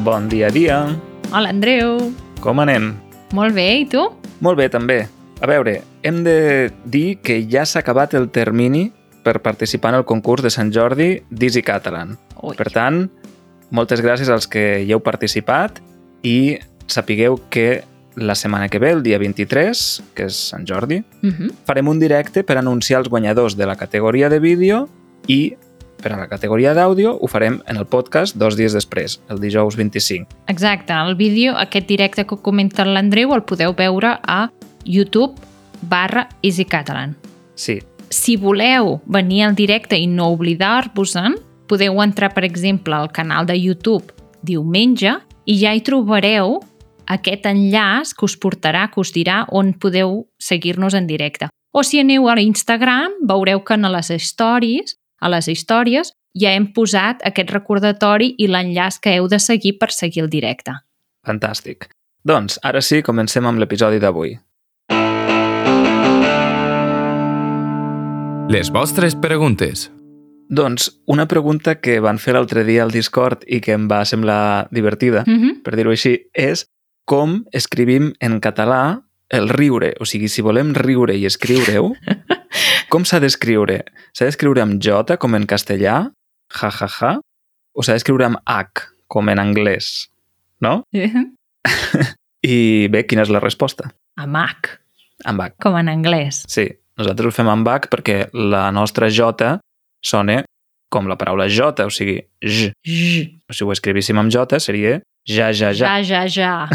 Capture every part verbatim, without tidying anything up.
Bon dia a dia. Hola, Andreu. Com anem? Molt bé, i tu? Molt bé, també. A veure, hem de dir que ja s'ha acabat el termini per participar en el concurs de Sant Jordi d'Easy Catalan. Ui. Per tant, moltes gràcies als que hi heu participat i sapigueu que la setmana que ve, el dia vint-i-tres, que és Sant Jordi, Uh-huh. farem un directe per anunciar els guanyadors de la categoria de vídeo i per a la categoria d'àudio ho farem en el podcast dos dies després, el dijous vint-i-cinc. Exacte, el vídeo, aquest directe que comenta l'Andreu, el podeu veure a YouTube barra Easy Catalan. Sí, Si voleu venir al directe i no oblidar-vos-en, podeu entrar, per exemple, al canal de YouTube diumenge i ja hi trobareu aquest enllaç que us portarà, que us dirà on podeu seguir-nos en directe. O si aneu a Instagram, veureu que a les stories, a les històries, ja hem posat aquest recordatori i l'enllaç que heu de seguir per seguir el directe. fantàstic. Doncs, ara sí, comencem amb l'episodi d'avui. Les vostres preguntes. Doncs, una pregunta que van fer l'altre dia al Discord i que em va semblar divertida, Mhm. per dir-ho així, és com escrivim en català el riure. O sigui, si volem riure i escriure-ho, com s'ha d'escriure? S'ha d'escriure amb J, com en castellà, ja, ja, ja, o s'ha d'escriure amb H, com en anglès, no? I bé, quina és la resposta? Amb H, Amb H. com en anglès. Sí, nosaltres ho fem amb H perquè la nostra J sona com la paraula J, o sigui, J. J. Si ho escrivíssim amb J seria ja, ja, ja. Ja, ja, ja.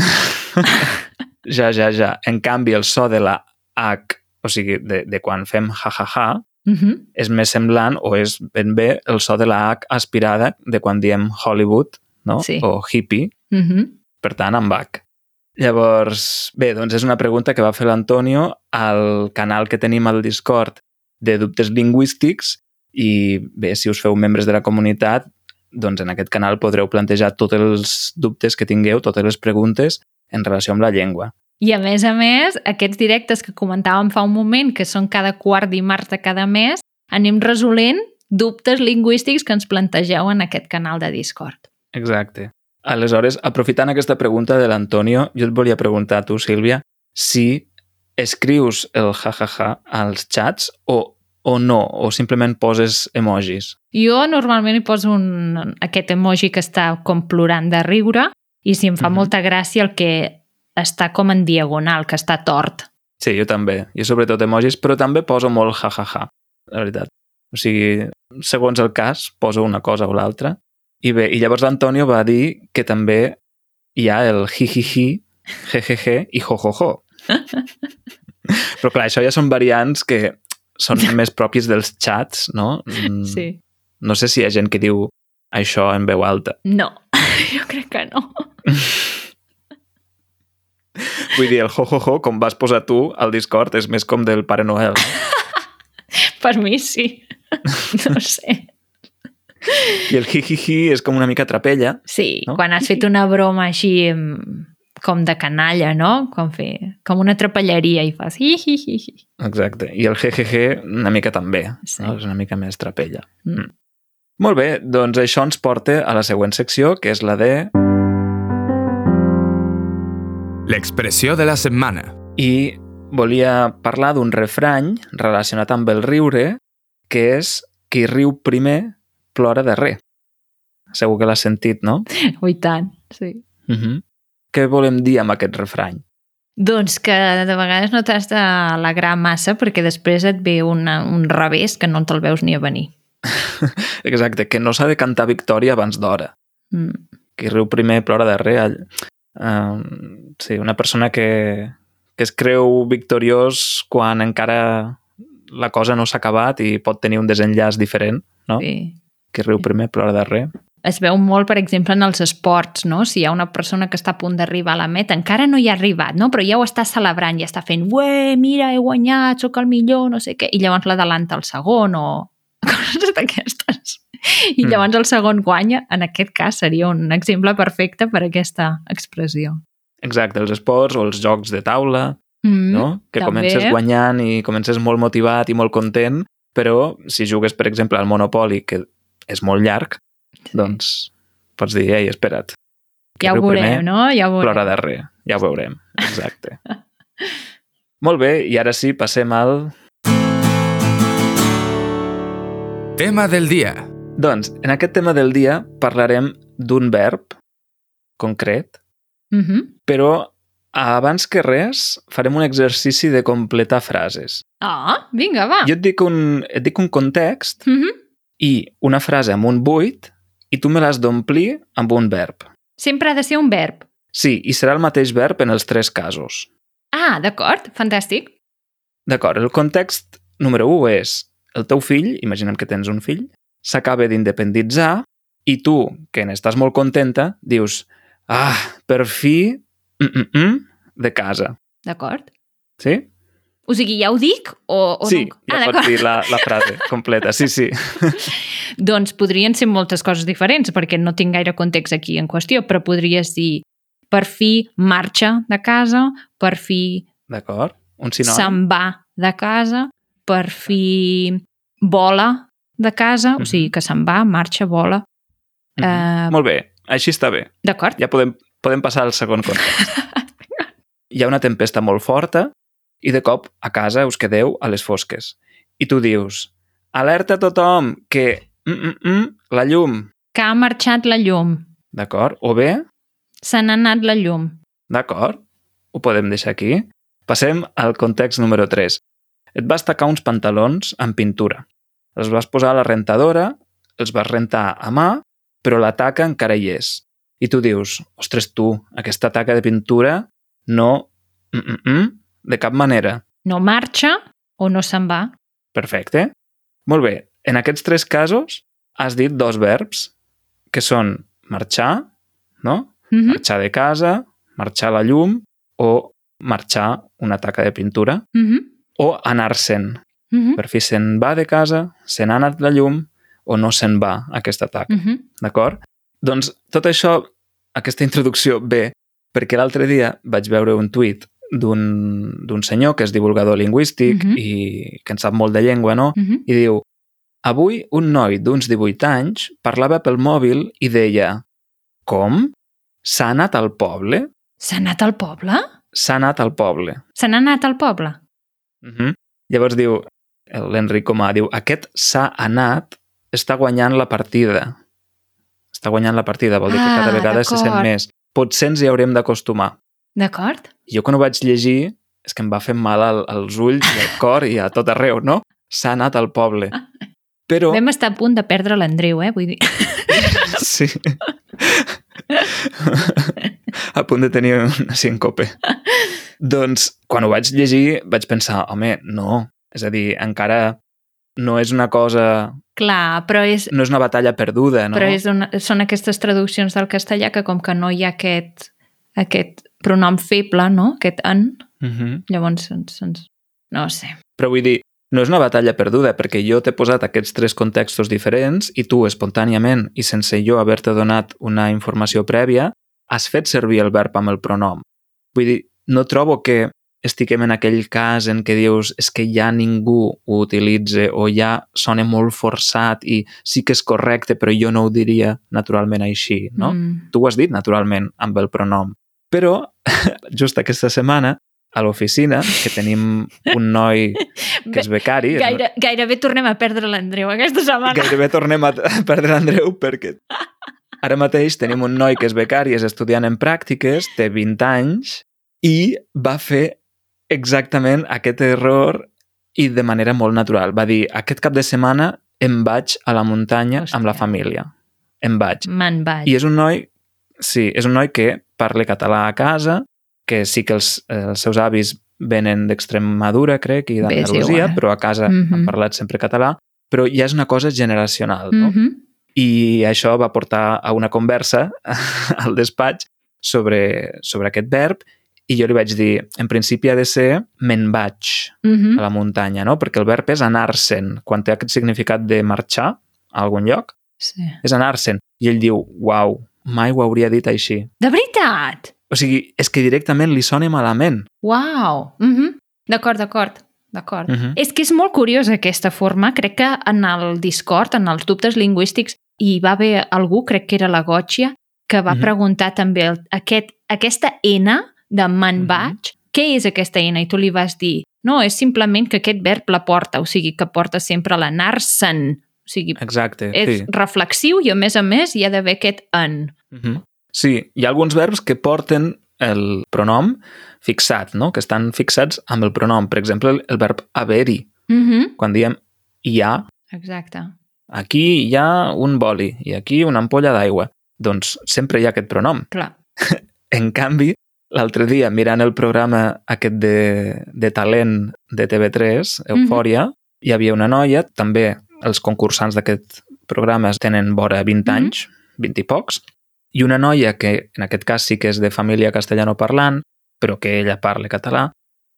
Ja, ja, ja. En canvi, el so de la H, o sigui, de, de quan fem ja, ja, ja, Mhm. és més semblant o és ben bé el so de la H aspirada de quan diem Hollywood, no? Sí. O hippie, Mhm. per tant, amb H. Llavors, bé, doncs és una pregunta que va fer l'Antonio al canal que tenim al Discord de dubtes lingüístics i bé, si us feu membres de la comunitat, doncs en aquest canal podreu plantejar tots els dubtes que tingueu, totes les preguntes en relació amb la llengua. I a més a més, aquests directes que comentàvem fa un moment, que són cada quart dimarts de cada mes, anem resolent dubtes lingüístics que ens plantegeu en aquest canal de Discord. Exacte. Aleshores, aprofitant aquesta pregunta de l'Antonio, jo et volia preguntar a tu, Sílvia, si escrius el jajaja als xats o, o no, o simplement poses emojis. Jo normalment hi poso un, aquest emoji que està com plorant de riure i si em fa Mhm. molta gràcia el que està com en diagonal, que està tort. Sí, jo també. Jo sobretot emojis, però també poso molt jajaja, la veritat. O sigui, segons el cas, poso una cosa o l'altra. I bé, i llavors l'Antonio va dir que també hi ha el jijiji, jejeje i jojojo. Però clar, això ja són variants que són més propis dels xats, no? Mm, Sí. No sé si hi ha gent que diu això en veu alta. No, jo crec que no. Vull dir, el jojojo, com vas posar tu al Discord, és més com del Pare Noel. Per mi sí. No sé. I el jijiji és com una mica trapella. Sí, No? quan has fet una broma així mm, com de canalla, no? Com, fer, com una trapelleria i fas hi, hi, hi, hi. Exacte. I el jejeje una mica també. Sí. No? És una mica més trapella. Mm. Mm. Molt bé, doncs això ens porta a la següent secció, que és la de... L'expressió de la setmana. I volia parlar d'un refrany relacionat amb el riure, que és qui riu primer plora darrer. Segur que l'has sentit, no? Ui, tant, sí. Uh -huh. Què volem dir amb aquest refrany? Doncs que de vegades no t'has d'alegrar massa perquè després et ve una, un revés que no te'l veus ni a venir. Exacte, que no s'ha de cantar victòria abans d'hora. Mm. Qui riu primer plora darrer. Uh, sí, una persona que, que es creu victoriós quan encara la cosa no s'ha acabat i pot tenir un desenllaç diferent, no? Sí. Qui riu primer plora darrer. Es veu molt, per exemple, en els esports, no? Si hi ha una persona que està a punt d'arribar a la meta, encara no hi ha arribat, no? Però ja ho està celebrant, ja està fent ué, mira, he guanyat, sóc el millor, no sé què, i llavors l'adelanta el segon o coses d'aquestes. I Mm. llavors el segon guanya, en aquest cas seria un exemple perfecte per a aquesta expressió. Exacte, els esports o els jocs de taula, Mm, no? Que també. comences guanyant i comences molt motivat i molt content, però si jugues, per exemple, al Monopoly, que és molt llarg, Sí. doncs pots dir, ei, espera't, Ja ho veurem, no? Ja ho veurem. Plora darrer, ja ho veurem, exacte. Molt bé, i ara sí, passem al... Tema del dia. Doncs, en aquest tema del dia parlarem d'un verb concret, Uh-huh. però abans que res farem un exercici de completar frases. Ah, vinga, va. Jo et dic un, et dic un context Uh-huh. i una frase amb un buit i tu me l'has d'omplir amb un verb. Sempre ha de ser un verb. Sí, i serà el mateix verb en els tres casos. Ah, d'acord, fantàstic. D'acord, el context número u és el teu fill, imaginem que tens un fill, s'acaba d'independitzar i tu, que n'estàs molt contenta, dius ah, per fi, mm, mm, mm, de casa. D'acord. Sí? O sigui, ja ho dic o, o Sí, no? ja Ah, pots dir la, la frase completa, sí, sí. Doncs podrien ser moltes coses diferents, perquè no tinc gaire context aquí en qüestió, però podries dir per fi marxa de casa, per fi D'acord? Un sinònim? se'n va de casa, per fi vola de casa, o sigui, que se'n va, marxa, vola. Mhm. eh, Molt bé, així està bé. D'acord? Ja podem, podem passar al segon context. Hi ha una tempesta molt forta i de cop a casa us quedeu a les fosques. I tu dius, alerta a tothom que mm, mm, mm, la llum, Que ha marxat la llum. d'acord? O bé, Se n'ha anat la llum. d'acord? Ho podem deixar aquí. Passem al context número tres. Et vas tacar uns pantalons amb pintura. Els vas posar a la rentadora, els vas rentar a mà, però la taca encara hi és. I tu dius, ostres tu, aquesta taca de pintura no... Mm, mm, mm, de cap manera. No marxa o no se'n va. Perfecte. Molt bé. En aquests tres casos has dit dos verbs, que són marxar, no? Uh-huh. Marxar de casa, marxar la llum o marxar una taca de pintura Uh-huh. o anar-se'n. Uh-huh. Per fi se'n va de casa, se n'ha anat la llum o no se'n va aquesta taca. Uh-huh. D'acord? Doncs tot això, aquesta introducció ve perquè l'altre dia vaig veure un tuit d'un d'un senyor que és divulgador lingüístic Mhm. i que en sap molt de llengua, no? Uh-huh. I diu, avui un noi d'uns divuit anys parlava pel mòbil i deia, com? S'ha anat al poble? S'ha anat al poble? S'ha anat al poble. Se n'ha anat al poble? Uh -huh. Llavors diu, l'Enric Comà diu, aquest s'ha anat està guanyant la partida. Està guanyant la partida, vol dir que Ah, cada vegada se sent d'acord. més. Potser ens hi haurem d'acostumar. D'acord? Jo quan ho vaig llegir és que em va fer mal al, als ulls i al cor i a tot arreu, no? S'ha anat al poble. Però... Vam estar a punt de perdre l'Andreu, eh? Vull dir... Sí. A punt de tenir una síncope. Doncs, quan ho vaig llegir, vaig pensar, home, no. És a dir, encara no és una cosa... Clar, però és, No és una batalla perduda, no? però és una, són aquestes traduccions del castellà que com que no hi ha aquest, aquest pronom feble, no? Aquest en, Uh -huh. llavors se'ns... se'ns... No ho sé. Però vull dir, no és una batalla perduda, perquè jo t'he posat aquests tres contextos diferents i tu, espontàniament, i sense jo haver-te donat una informació prèvia, has fet servir el verb amb el pronom. Vull dir, no trobo que estiguem en aquell cas en què dius és que ja ningú ho utilitza o ja sona molt forçat i sí que és correcte, però jo no ho diria naturalment així, no? Mm. Tu ho has dit naturalment amb el pronom. Però, just aquesta setmana, a l'oficina, que tenim un noi que és becari... és- Gaire, gairebé tornem a perdre l'Andreu aquesta setmana. Gairebé tornem a a perdre l'Andreu perquè ara mateix tenim un noi que és becari, és estudiant en pràctiques, té vint anys i va fer exactament aquest error i de manera molt natural. Va dir, aquest cap de setmana em vaig a la muntanya Hòstia. amb la família. Em vaig. Me'n vaig. I és un noi, sí, és un noi que parla català a casa, que sí que els, els seus avis venen d'Extremadura, crec, i Bé, és d'Andalusia, igual. però a casa Mhm. han parlat sempre català, però ja és una cosa generacional, no? Mhm. I això va portar a una conversa al despatx sobre, sobre aquest verb i jo li vaig dir, en principi ha de ser me'n vaig Mhm. a la muntanya, no? Perquè el verb és anar-se'n. Quan té aquest significat de marxar a algun lloc, Sí. és anar-se'n. I ell diu, uau, mai ho hauria dit així. De veritat? O sigui, és que directament li sona malament. Uau! Mhm. D'acord, d'acord. D'acord. Mhm. És que és molt curiosa aquesta forma. Crec que en el Discord, en els dubtes lingüístics, hi va haver algú, crec que era la Gòtxia, que va Mhm. preguntar també el, aquest, aquesta N de me'n Mhm. vaig, què és aquesta N? I tu li vas dir, no, és simplement que aquest verb la porta, o sigui, que porta sempre l'anar-se'n. O sigui, Exacte, és sí. reflexiu i, a més a més, hi ha d'haver aquest en. Mhm. Sí, hi ha alguns verbs que porten el pronom fixat, no? Que estan fixats amb el pronom. Per exemple, el, el verb haver-hi. Mhm. Quan diem hi ha, Exacte. aquí hi ha un boli i aquí una ampolla d'aigua. Doncs sempre hi ha aquest pronom. Clar. En canvi, l'altre dia, mirant el programa aquest de, de talent de T V tres, Eufòria, mm -hmm. hi havia una noia, també els concursants d'aquest programa tenen vora vint Mhm. anys, vint i pocs, i una noia que, en aquest cas, sí que és de família castellanoparlant, però que ella parla català,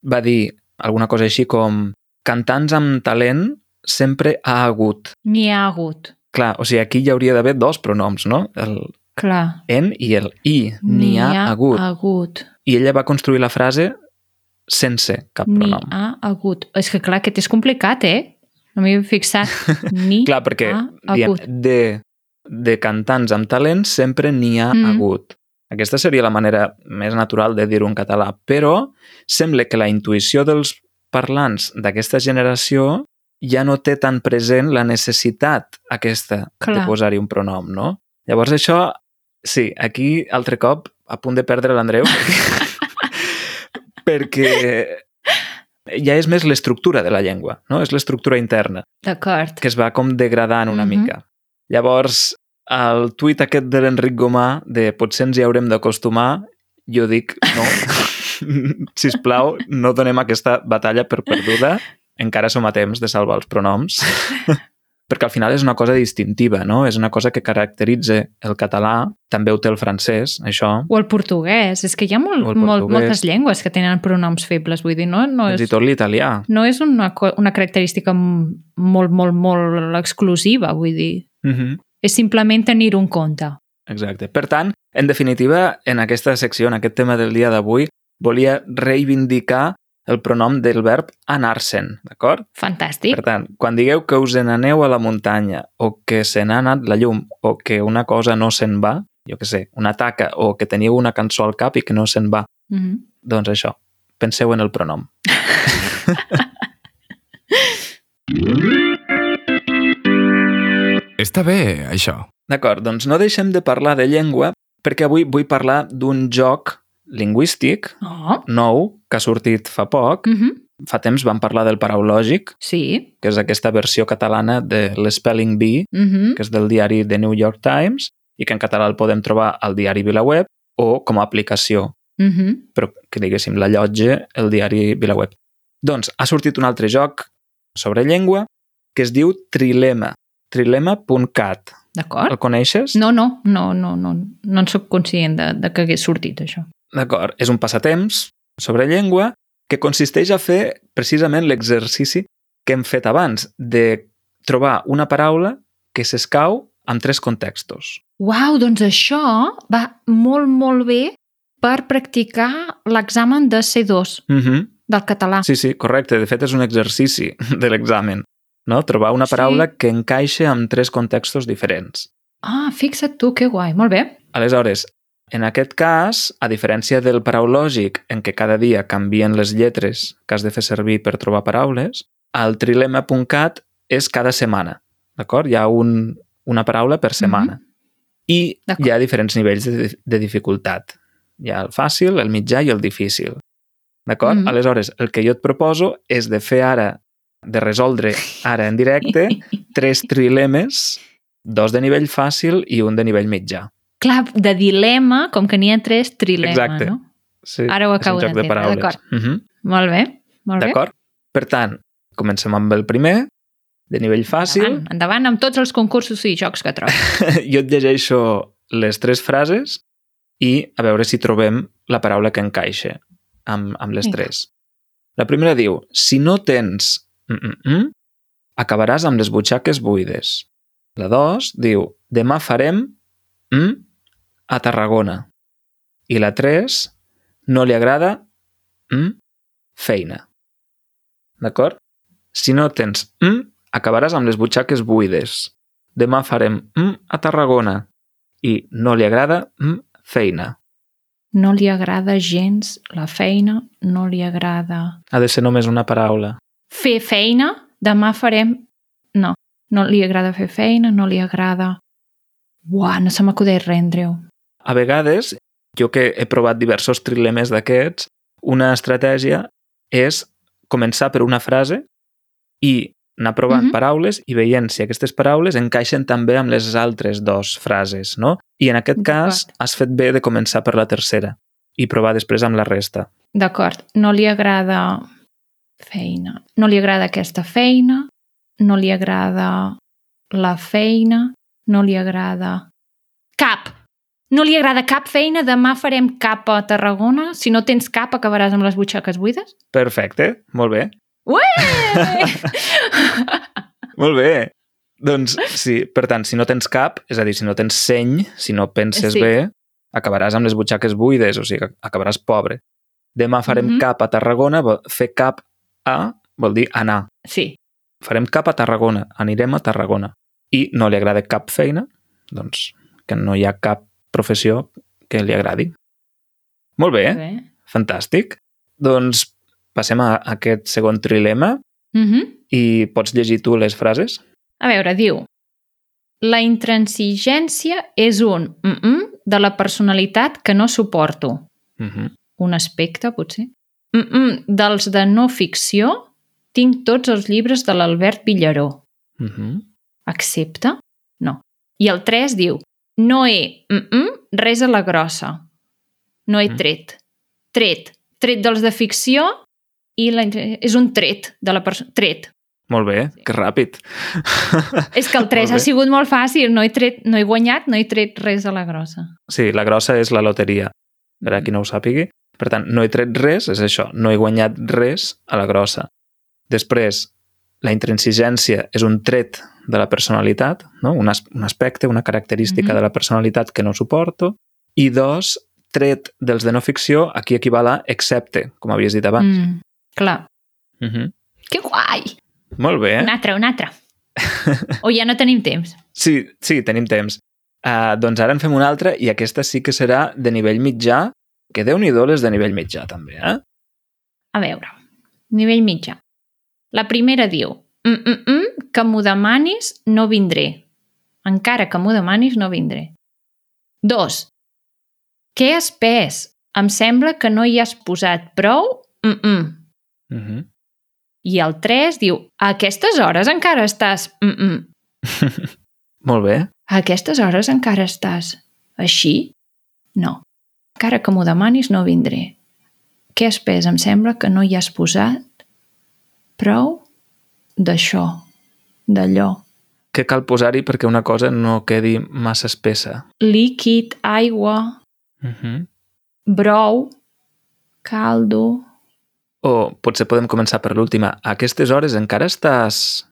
va dir alguna cosa així com cantants amb talent sempre ha hagut. N'hi ha hagut. Clar, o sigui, aquí hi hauria d'haver dos pronoms, no? El Clar. en i el i. N'hi ha hagut. hagut. I ella va construir la frase sense cap N'hi pronom. ha hagut. És que, clar, aquest és complicat, eh? No m'hi he fixat. N'hi Clar, perquè ha diem, hagut. de, de cantants amb talent sempre n'hi ha Mm. hagut. Aquesta seria la manera més natural de dir-ho en català, però sembla que la intuïció dels parlants d'aquesta generació ja no té tan present la necessitat aquesta Clar. de posar-hi un pronom, no? Llavors això, sí, aquí altre cop a punt de perdre l'Andreu perquè ja és més l'estructura de la llengua, no? És l'estructura interna D'acord. que es va com degradant una Mhm. mica. Llavors, el tuit aquest de l'Enric Gomà de potser ens hi haurem d'acostumar, jo dic no. Sisplau, no donem aquesta batalla per perduda. Encara som a temps de salvar els pronoms. Perquè al final és una cosa distintiva, no? És una cosa que caracteritza el català, també ho té el francès, això. O el portuguès. És que hi ha molt, O el molt, portuguès. moltes llengües que tenen pronoms febles. Vull dir, no, no Fins és, i tot l'italià. no és una, co- una característica m- molt, molt, molt exclusiva. Vull dir, Mhm. és simplement tenir un compte. Exacte. Per tant, en definitiva, en aquesta secció, en aquest tema del dia d'avui, volia reivindicar el pronom del verb anar-se'n, d'acord? Fantàstic. Per tant, quan digueu que us n'aneu a la muntanya o que se n'ha anat la llum o que una cosa no se'n va, jo què sé, una taca o que teniu una cançó al cap i que no se'n va, Mhm. doncs això, penseu en el pronom. Està bé, això. D'acord, doncs no deixem de parlar de llengua perquè avui vull parlar d'un joc lingüístic Oh. nou que ha sortit fa poc. Mhm. Fa temps vam parlar del Paraulògic, Sí. que és aquesta versió catalana de l'Spelling Bee, Mhm. que és del diari The New York Times i que en català el podem trobar al diari VilaWeb o com a aplicació, Mhm. però que diguéssim l'allotge el diari VilaWeb. Doncs ha sortit un altre joc sobre llengua que es diu Trilema, trilema punt cat. D'acord. El coneixes? No, no, no, no, no, no en soc conscient de, de que hagués sortit això. D'acord, és un passatemps sobre llengua que consisteix a fer precisament l'exercici que hem fet abans, de trobar una paraula que s'escau amb tres contextos. Uau, doncs això va molt, molt bé per practicar l'examen de C dos Mhm. del català. Sí, sí, correcte. De fet, és un exercici de l'examen, no? Trobar una paraula Sí. que encaixa amb tres contextos diferents. Ah, fixa't tu, que guai, molt bé. Aleshores, en aquest cas, a diferència del paraulògic, en què cada dia canvien les lletres que has de fer servir per trobar paraules, el trilema punt cat és cada setmana, d'acord? Hi ha un, una paraula per setmana. Mhm. I D'acord. hi ha diferents nivells de, de dificultat. Hi ha el fàcil, el mitjà i el difícil. D'acord? Mhm. Aleshores, el que jo et proposo és de fer ara, de resoldre ara en directe, tres trilemes, dos de nivell fàcil i un de nivell mitjà. Clar, de dilema, com que n'hi ha tres, trilema, Exacte. no? Sí, Ara ho és un acabo joc de d'entendre, paraules. d'acord. Mhm. Molt bé, molt bé. D'acord? Per tant, comencem amb el primer, de nivell fàcil. Endavant, endavant amb tots els concursos i jocs que trobes. Jo et llegeixo les tres frases i a veure si trobem la paraula que encaixa amb, amb les Vinga. tres. La primera diu, si no tens mm, mm, mm, acabaràs amb les butxaques buides. La dos diu, demà farem mm, a Tarragona. I la tres, no li agrada mm, feina. D'acord? Si no tens mm, acabaràs amb les butxaques buides. Demà farem mm, a Tarragona. I no li agrada mm, feina. No li agrada gens la feina, no li agrada... Ha de ser només una paraula. Fer feina, demà farem... No, no li agrada fer feina, no li agrada... Uah, no se m'acudeix res, Andreu. A vegades, jo que he provat diversos trilemes d'aquests, una estratègia és començar per una frase i anar provant Mhm. paraules i veient si aquestes paraules encaixen també amb les altres dues frases, no? I en aquest cas D'acord. has fet bé de començar per la tercera i provar després amb la resta. D'acord, no li agrada feina. No li agrada aquesta feina, no li agrada la feina, no li agrada... Cap! No li agrada cap feina, demà farem cap a Tarragona. Si no tens cap, acabaràs amb les butxaques buides? Perfecte, molt bé. Ué! Molt bé. Doncs sí, per tant, si no tens cap, és a dir, si no tens seny, si no penses Sí. bé, acabaràs amb les butxaques buides, o sigui, acabaràs pobre. Demà farem Mhm. cap a Tarragona, vol- fer cap a vol dir anar. Sí, Farem cap a Tarragona, anirem a Tarragona. I no li agrada cap feina, doncs que no hi ha cap professió que li agradi. Molt bé, bé. fantàstic. Doncs passem a aquest segon trilema Mhm. i pots llegir tu les frases? A veure, diu... La intransigència és un mm-mm de la personalitat que no suporto. Mhm. Un aspecte, potser. Mm-mm dels de no ficció tinc tots els llibres de l'Albert Villaró. Mhm. Accepta? No. I el tres diu no he mm-mm res a la grossa. No he Mm. tret. Tret. Tret dels de ficció i la, intre- és un tret de la persona. Tret. Molt bé, que ràpid. És que el tres Molt ha bé. sigut molt fàcil. No he, tret, no he guanyat, no he tret res a la grossa. Sí, la grossa és la loteria, per a qui no ho sàpigui. Per tant, no he tret res, és això, no he guanyat res a la grossa. Després, la intransigència és un tret de la personalitat, no? un, as un aspecte, una característica Mhm. de la personalitat que no suporto. I dos, tret dels de no ficció, aquí equival a excepte, com havies dit abans. Mm, clar. Mm. -hmm. Que guai! Molt bé. Un altre, un altre. O ja no tenim temps? Sí, sí, tenim temps. Uh, doncs ara en fem una altra i aquesta sí que serà de nivell mitjà, que Déu-n'hi-do les de nivell mitjà també, eh? A veure, nivell mitjà. La primera diu mm, mm, mm, que m'ho demanis no vindré. Encara que m'ho demanis no vindré. Dos. Què has pes? Em sembla que no hi has posat prou mm -mm. Uh -huh. I el tres diu a aquestes hores encara estàs mm -mm. Molt bé. A aquestes hores encara estàs així? No. Encara que m'ho demanis no vindré. Què has pes? Em sembla que no hi has posat prou d'això, d'allò. Què cal posar-hi perquè una cosa no quedi massa espessa? Líquid, aigua, Uh -huh. brou, caldo... O potser podem començar per l'última. A aquestes hores encara estàs...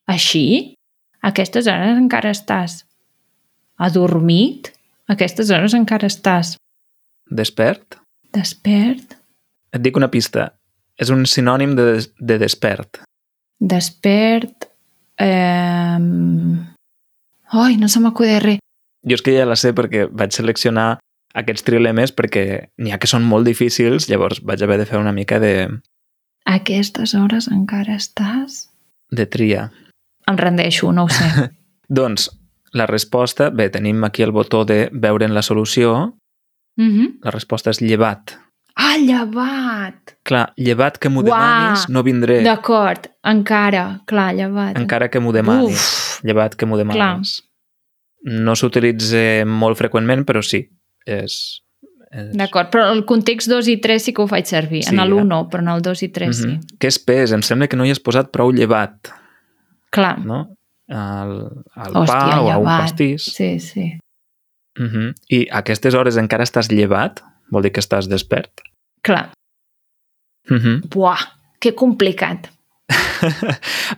Així? A aquestes hores encara estàs adormit? A aquestes hores encara estàs despert? despert? Et dic una pista. És un sinònim de, des de despert. Despert... Eh... Ai, no se m'acudeix res. Jo és que ja la sé perquè vaig seleccionar aquests trilemes perquè n'hi ha que són molt difícils, llavors vaig haver de fer una mica de, A aquestes hores encara estàs... de tria. Em rendeixo, no ho sé. Doncs la resposta, bé, tenim aquí el botó de veure en la solució, mm-hmm. la resposta és llevat. Ah, llevat! Clar, llevat que m'ho Uà! demanis, no vindré. D'acord, encara, clar, llevat. Encara que m'ho demanis. Uf. Llevat que m'ho demanis. Clar. No s'utilitza molt freqüentment, però sí. És, és... D'acord, però el context dos i tres sí que ho faig servir. Sí, en el eh? un no, però en el dos i tres mm -hmm. sí. Què és pes? Em sembla que no hi has posat prou llevat. Clar. No? Al, al Hòstia, pa o a un llevat. pastís. Sí, sí. Mm -hmm. I a aquestes hores encara estàs llevat? Vol dir que estàs despert? Clar. Mm -hmm. Buah, que complicat.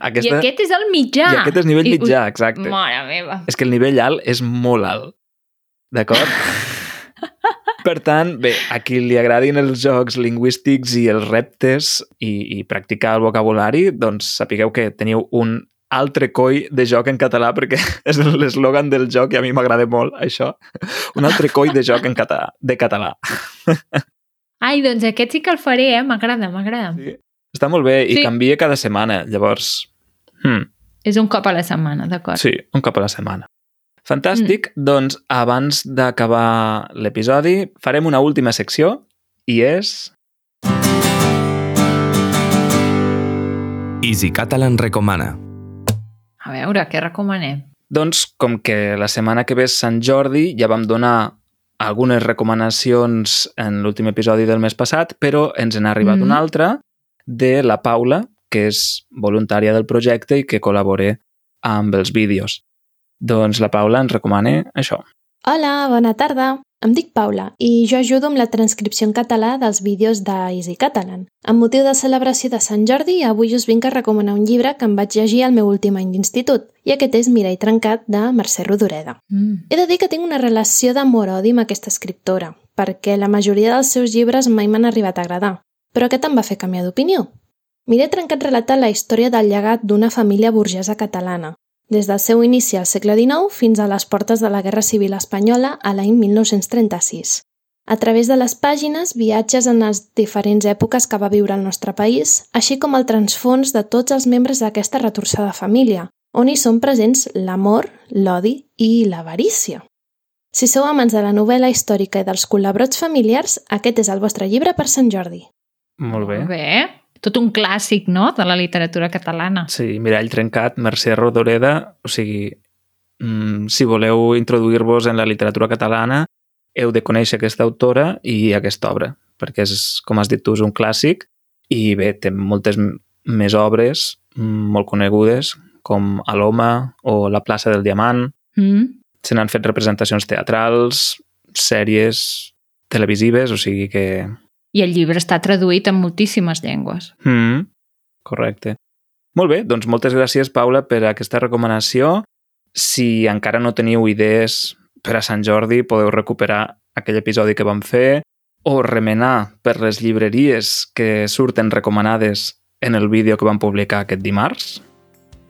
Aquesta... I aquest és el mitjà. I aquest és nivell I, mitjà, exacte. Mare meva. És que el nivell alt és molt alt. D'acord? Per tant, bé, a qui li agradin els jocs lingüístics i els reptes i, i practicar el vocabulari, doncs sapigueu que teniu un altre coi de joc en català, perquè és l'eslògan del joc i a mi m'agrada molt, això. Un altre coi de joc en català, de català. Ai, doncs aquest sí que el faré, eh? M'agrada, m'agrada. Sí. Està molt bé i Sí. canvia cada setmana, llavors... Hmm. És un cop a la setmana, d'acord. Sí, un cop a la setmana. Fantàstic. Mm. Doncs abans d'acabar l'episodi farem una última secció i és... Easy Catalan recomana. A veure, què recomanem? Doncs com que la setmana que ve és Sant Jordi, ja vam donar algunes recomanacions en l'últim episodi del mes passat, però ens n'ha arribat Mm. una altra de la Paula, que és voluntària del projecte i que col·labora amb els vídeos. Doncs la Paula ens recomana això. Hola, bona tarda. Em dic Paula i jo ajudo amb la transcripció en català dels vídeos d'Easy Catalan. Amb motiu de celebració de Sant Jordi, avui us vinc a recomanar un llibre que em vaig llegir al meu últim any d'institut, i aquest és Mireia Trencat, de Mercè Rodoreda. Mm. He de dir que tinc una relació d'amor-odi amb aquesta escriptora, perquè la majoria dels seus llibres mai m'han arribat a agradar, però aquest em va fer canviar d'opinió. Mireia Trencat relata la història del llegat d'una família burgesa catalana, des del seu inici al segle dinou fins a les portes de la Guerra Civil Espanyola a l'any mil nou-cents trenta-sis. A través de les pàgines, viatges en les diferents èpoques que va viure el nostre país, així com el transfons de tots els membres d'aquesta retorçada família, on hi són presents l'amor, l'odi i l'avarícia. Si sou amants de la novel·la històrica i dels col·labrots familiars, aquest és el vostre llibre per Sant Jordi. Molt bé. Molt bé. Tot un clàssic, no?, de la literatura catalana. Sí, Mireia Trencat, Mercè Rodoreda, o sigui, mm, si voleu introduir-vos en la literatura catalana, heu de conèixer aquesta autora i aquesta obra, perquè és, com has dit tu, és un clàssic i bé, té moltes més obres molt conegudes, com Aloma o La plaça del Diamant. Mm. Se n'han fet representacions teatrals, sèries televisives, o sigui que... I el llibre està traduït en moltíssimes llengües. Mm, correcte. Molt bé, doncs moltes gràcies, Paula, per aquesta recomanació. Si encara no teniu idees per a Sant Jordi, podeu recuperar aquell episodi que vam fer o remenar per les llibreries que surten recomanades en el vídeo que vam publicar aquest dimarts.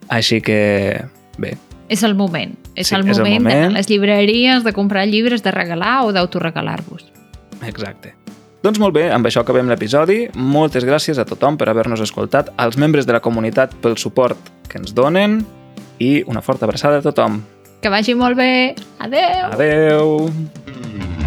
Així que, bé. És el moment. És Sí, el és el moment moment. d'anar a les llibreries, de comprar llibres, de regalar o d'autoregalar-vos. Exacte. Doncs molt bé, amb això acabem l'episodi. Moltes gràcies a tothom per haver-nos escoltat, als membres de la comunitat pel suport que ens donen i una forta abraçada a tothom. Que vagi molt bé. Adeu! Adeu!